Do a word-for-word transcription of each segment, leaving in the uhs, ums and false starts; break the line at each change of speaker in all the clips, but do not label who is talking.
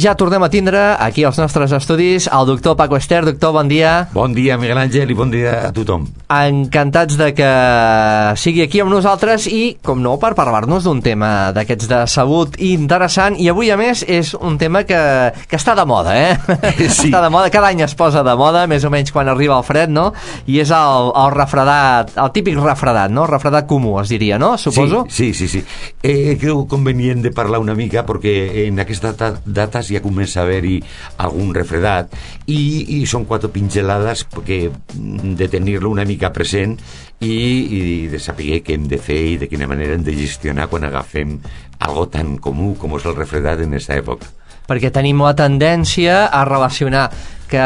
ja tornem a tindre aquí als nostres estudis el doctor Paco Ester. Doctor, bon dia.
Bon dia, Miguel Àngel, i bon dia a tothom.
Encantats de que sigui aquí amb nosaltres i, com no, per parlar-nos d'un tema d'aquests de salut interessant, i avui, a més, és un tema que, que està de moda, eh?
Sí.
Està de moda, cada any es posa de moda, més o menys quan arriba el fred, no? I és el, el refredat, el típic refredat, no? Refredat comú, es diria, no? Suposo?
Sí, sí, sí. sí. Eh, creu convenient de parlar una mica perquè en aquestes dates ja comença a haver-hi algun refredat i, i són quatre pinzelades que de tenir-lo una mica present i, i de saber què hem de fer i de quina manera hem de gestionar quan agafem algo tan comú com és el refredat en aquesta època.
Perquè tenim la tendència a relacionar que,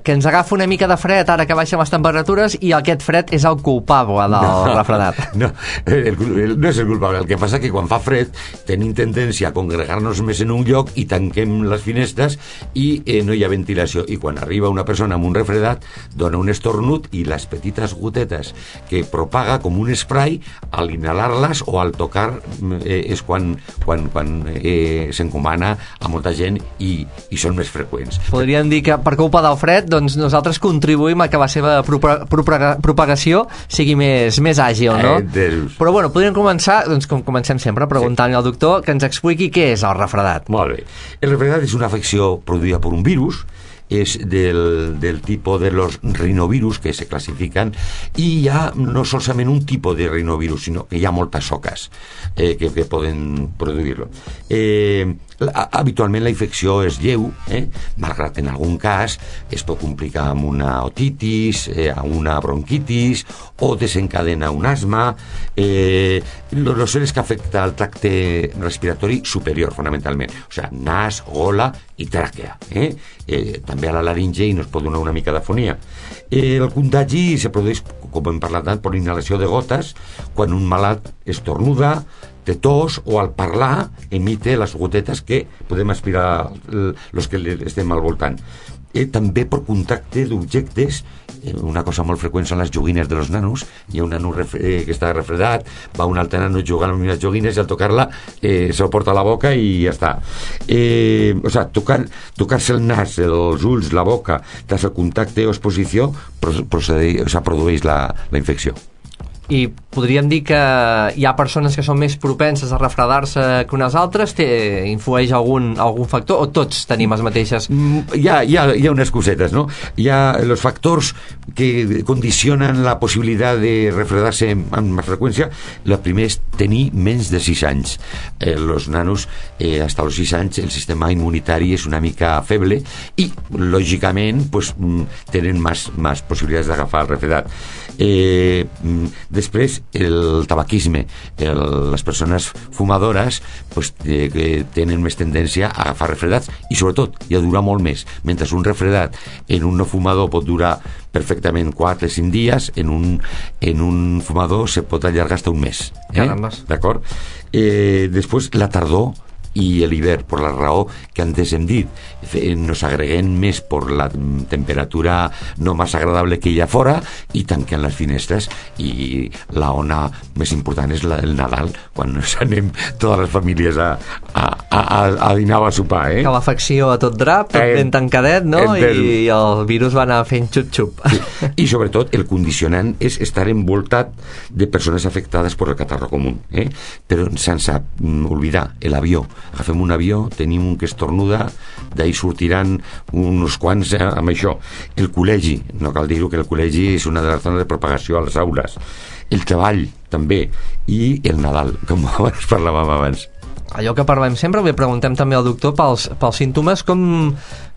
que ens agafa una mica de fred ara que baixen les temperatures i aquest fred és el culpable del
no,
refredat.
No, el, el, no és el culpable. El que passa que quan fa fred tenim tendència a congregar-nos més en un lloc i tanquem les finestres i eh, no hi ha ventilació. I quan arriba una persona amb un refredat dona un estornut i les petites gotetes que propaga com un spray al inhalar-les o al tocar eh, és quan, quan, quan eh, s'encomana a molta gent i, i són més freqüents.
Podríem dir que per culpa del fred doncs nosaltres contribuïm a que la seva propagació sigui més, més àgil, no?
Eh,
Però bueno, podríem començar, doncs com comencem sempre, preguntant-li al doctor que ens expliqui què és el refredat.
Molt bé. El refredat és una afecció produïda per un virus, és del, del tipus de los rinovirus que se classifiquen i hi ha no solament un tipus de rinovirus sinó que hi ha moltes soques eh, que, que poden produir-lo. Eh, la, habitualment la infecció és lleu, eh, malgrat en algun cas es pot complicar amb una otitis, eh, amb una bronquitis o desencadena un asma. Eh, lo, lo cert és que afecta el tracte respiratori superior fonamentalment, o sigui, nas, gola i tràquea, eh? Eh, també a la laringe i nos pot donar una mica d'afonia. Eh, el contagi se produeix, com hem parlat, per inhalació de gotes, quan un malalt estornuda, té tos o al parlar emite les gotetes que podem aspirar els que estem al voltant. Eh, també per contacte d'objectes, eh, una cosa molt freqüent són les joguines de los nanos. Hi ha un nano eh, que està refredat, va un altre nano jugant amb les joguines i al tocar-la eh, se ho porta a la boca i ja està. Eh, o sigui, tocar, tocar-se el nas, els ulls, la boca, tras el contacte o exposició procedeix, o sigui, produeix la, la infecció.
I podríem dir que hi ha persones que són més propenses a refredar-se que unes altres? Té, influeix algun, algun factor o tots tenim les mateixes?
Hi ha, hi ha, hi ha unes cosetes, ¿no? Hi ha els factors que condicionen la possibilitat de refredar-se amb més freqüència. La primera és tenir menys de sis anys. Eh, els nanos, eh, fins als sis anys, el sistema immunitari és una mica feble i, lògicament, pues, tenen més, més possibilitats d'agafar el refredat. Eh, després el tabaquisme, el, les persones fumadores pues, eh, que tenen més tendència a agafar refredats i sobretot i a durar molt més, mentre un refredat en un no fumador pot durar perfectament quatre o cinc dies, en un, en un fumador se pot allargar fins un mes, eh? D'acord? Eh, després la tardor i l'hivern, per la raó que antes hem dit, nos agreguem més per la temperatura no més agradable que hi ha fora i tanquem les finestres, i la ona més important és la del Nadal, quan nos anem totes les famílies a, a, a, a dinar o a sopar, eh?
Que l'afecció a tot drap, tot ben tancadet, no? I el virus va anar fent xup-xup.
Sí. I sobretot el condicionant és estar envoltat de persones afectades per el catarro comú, eh? Però sense oblidar l'avió. Agafem un avió, tenim un que estornuda, d'ahir sortiran uns quants eh, amb això. El col·legi, no cal dir-ho, que el col·legi és una de les zones de propagació a les aules. El treball, també, i el Nadal, com es parlàvem abans.
Allò que parlem sempre, li preguntem també al doctor pels, pels símptomes, com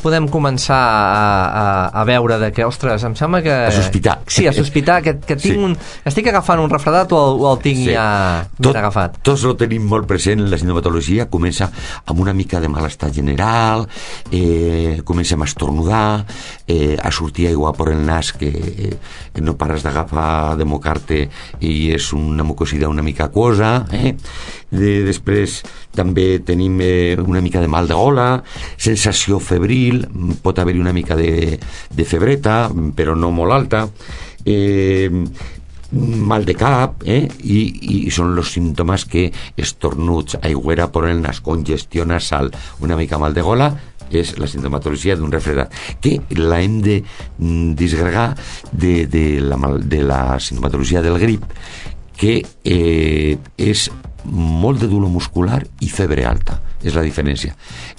podem començar a, a, a veure de que, ostres, em sembla que...
A sospitar.
Sí, a sospitar que, que tinc sí. un, estic agafant un refredat o el, o el tinc sí. ja ben
Tot,
agafat.
Tots ho tenim molt present. La sintomatologia comença amb una mica de malestar general, eh, comencem a estornudar, eh, a sortir aigua per el nas que eh, no pares d'agafar, de mocar-te i és una mucosidad una mica aquosa, eh? De, després també tenim eh, una mica de mal de gola, sensació febril, pot haver-hi una mica de, de febreta, però no molt alta. Eh, mal de cap, eh? I, i són els símptomes que estornuts, aigüera por el nas, congestió nasal, una mica mal de gola, és la sintomatologia d'un refredat, que la hem de disgregar de, de, la, de la sintomatologia del grip, que eh, és molt de dolor muscular i febre alta, és la diferència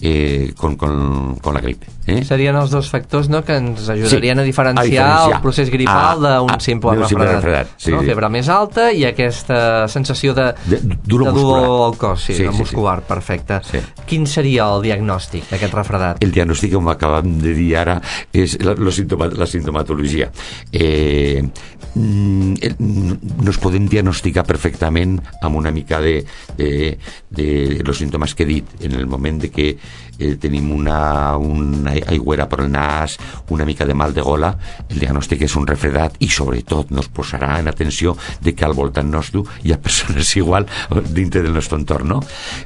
eh, con, con, con la grip, eh?
Serien els dos factors, no?, que ens ajudarien sí, a, diferenciar a diferenciar el procés gripal d'un simple refredat, refredat sí, no? Sí. Febre més alta i aquesta sensació de,
de, dolor,
de dolor al cos, sí, sí, sí, muscular, sí. Perfecte.
Sí.
Quin seria el diagnòstic d'aquest refredat?
El diagnòstic, com acabem de dir ara, és la, la, sintoma, la sintomatologia. Eh, nos podem diagnosticar perfectament amb una mica de, de, de los síntomes que he dit, en el moment de que eh, tenim una, una aigüera per el nas, una mica de mal de gola, el diagnòstic és un refredat i sobretot nos posarà en atenció de que al voltant nostre hi ha persones igual dintre del nostre entorn, no?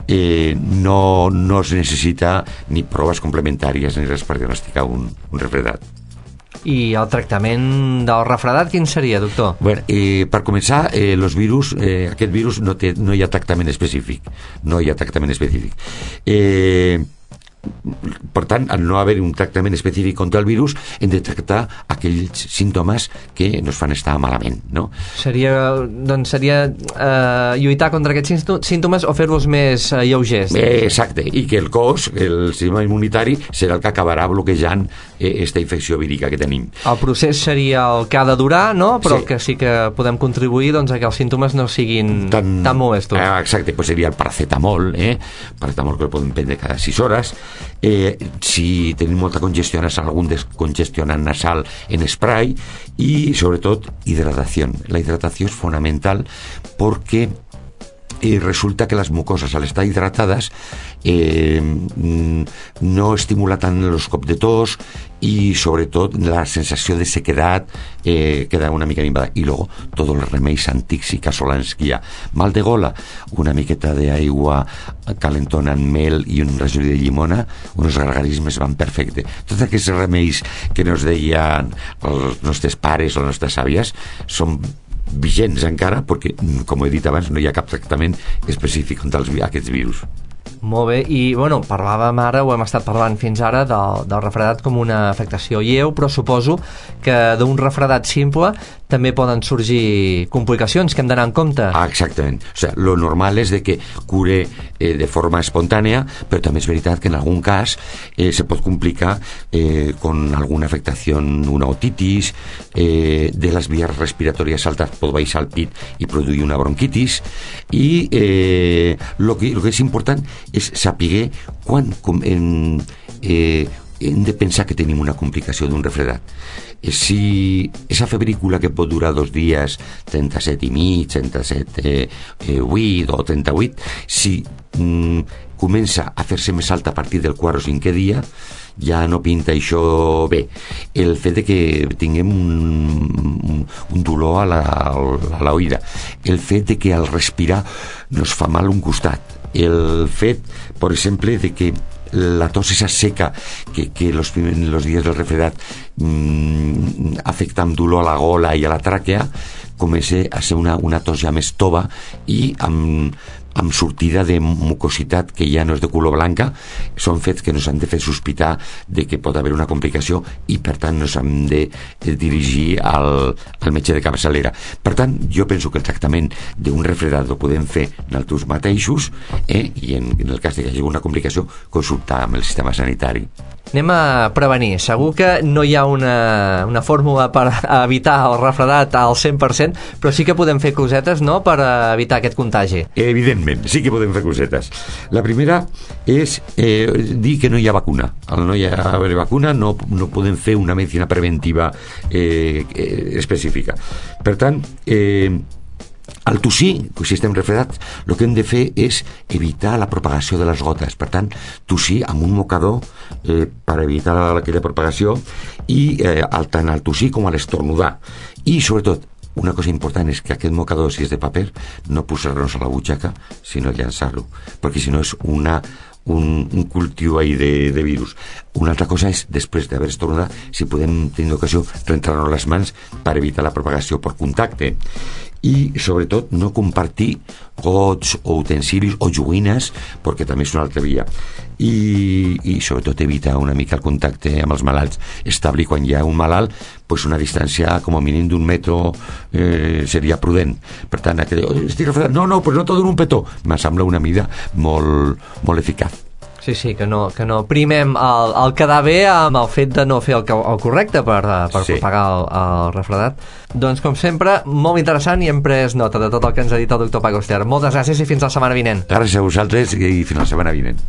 Eh, no, no es necessita ni proves complementàries ni res per diagnosticar un, un refredat.
I el tractament del refredat quin seria, doctor?
Bueno, eh, per començar, eh, los virus, eh, aquest virus no, té, no hi ha tractament específic. No hi ha tractament específic. Eh, per tant, al no haver un tractament específic contra el virus, hem de tractar aquells símptomes que ens fan estar malament, no?
Seria, doncs seria eh, lluitar contra aquests símptomes o fer-los més eh, lleugers?
Eh, exacte, i que el cos, el sistema immunitari, serà el que acabarà bloquejant aquesta infecció vírica que tenim.
El procés seria el que ha de durar, no? Però
sí.
que sí que podem contribuir, doncs, a que els símptomes no siguin tan, tan molestos.
Eh, exacte, pues seria el paracetamol, eh? Paracetamol que el podem prendre cada sis hores. Eh, si tenim molta congestió nasal, algun descongestionant nasal en spray, i sobretot hidratació. La hidratació és fonamental perquè eh, resulta que les mucoses, al estar hidratades, eh, no estimula tant els cops de tos i sobretot la sensació de sequedat eh, queda una mica minvada. I luego tots els remeis antics i casolans que hi ha. Mal de gola, una miqueta d'aigua calentona amb mel i un rajoll de llimona, uns gargarismes van perfecte. Tots aquests remeis que nos deien els nostres pares o les nostres àvies són vigents encara perquè, com he dit abans, no hi ha cap tractament específic contra els, aquests virus.
Molt bé, i bueno, parlàvem ara, ho hem estat parlant fins ara del, del refredat com una afectació lleu, però suposo que d'un refredat simple també poden sorgir complicacions que hem d'anar en compte.
Ah, exactament. O sea, lo normal és de que cure eh, de forma espontània, però també és veritat que en algun cas eh, se pot complicar eh, con alguna afectació, una otitis, eh, de les vies respiratòries altes pot baixar al pit i produir una bronquitis, i eh, lo que, lo que és important és saber quan com, en, eh, hem de pensar que tenim una complicació d'un refredat. Eh, si esa febrícula que pot durar dos dies, trenta-set i mig, trenta-set eh, eh, vuit o trenta-vuit, si mm, comença a fer-se més alta a partir del quart o cinquè dia, ja no pinta això bé. El fet de que tinguem un, un dolor a la, a la oïda, el fet de que al respirar nos fa mal un costat, el fet, per exemple, de que la tos esa seca que, que los, los días del refredat mmm, afecta amb dolor a la gola i a la tràquea, comença a ser una, una tos ja més tova i amb, amb sortida de mucositat que ja no és de color blanca. Són fets que ens han de fer sospitar de que pot haver una complicació i per tant ens hem de, de dirigir al, al metge de capçalera. Per tant, jo penso que el tractament d'un refredat ho podem fer nosaltres mateixos, eh? I en, en el cas que hi hagi una complicació, consultar amb el sistema sanitari.
Anem a prevenir. Segur que no hi ha una, una fórmula per evitar el refredat al cent per cent, però sí que podem fer cosetes, no?, per evitar aquest contagi.
Evidentment, sí que podem fer cosetes. La primera és eh, dir que no hi ha vacuna. Al no hi ha haver vacuna no, no podem fer una medicina preventiva eh, eh, específica. Per tant, eh, al tossir, si estem refredats, el que hem de fer és evitar la propagació de les gotes. Per tant, tossir amb un mocador eh, per evitar aquella propagació, i eh, tant al tossir com a l'estornudar. I, sobretot, una cosa important és que aquest mocador, si és de paper, no posar-nos a la butxaca, sinó llançar-lo, perquè si no és una, un, un cultiu ahí de, de virus. Una altra cosa és, després d'haver estornat, si podem tenir ocasió, rentrar-nos les mans per evitar la propagació per contacte. I, sobretot, no compartir gots o utensilis o joguines, perquè també és una altra via. I, i sobretot, evitar una mica el contacte amb els malalts. Establir, quan hi ha un malalt, pues una distància com a mínim d'un metro eh, seria prudent. Per tant, aquell, oh, estic refredat, no, no, pues no t'ho dono un petó. Me sembla una mida molt, molt eficaç.
Sí, sí, que no, que no primem el, el quedar bé amb el fet de no fer el, el correcte per, per sí. propagar el, el refredat. Doncs, com sempre, molt interessant i hem pres nota de tot el que ens ha dit el doctor Paco Ester. Moltes gràcies i fins la setmana vinent.
Gràcies a vosaltres i fins la setmana vinent.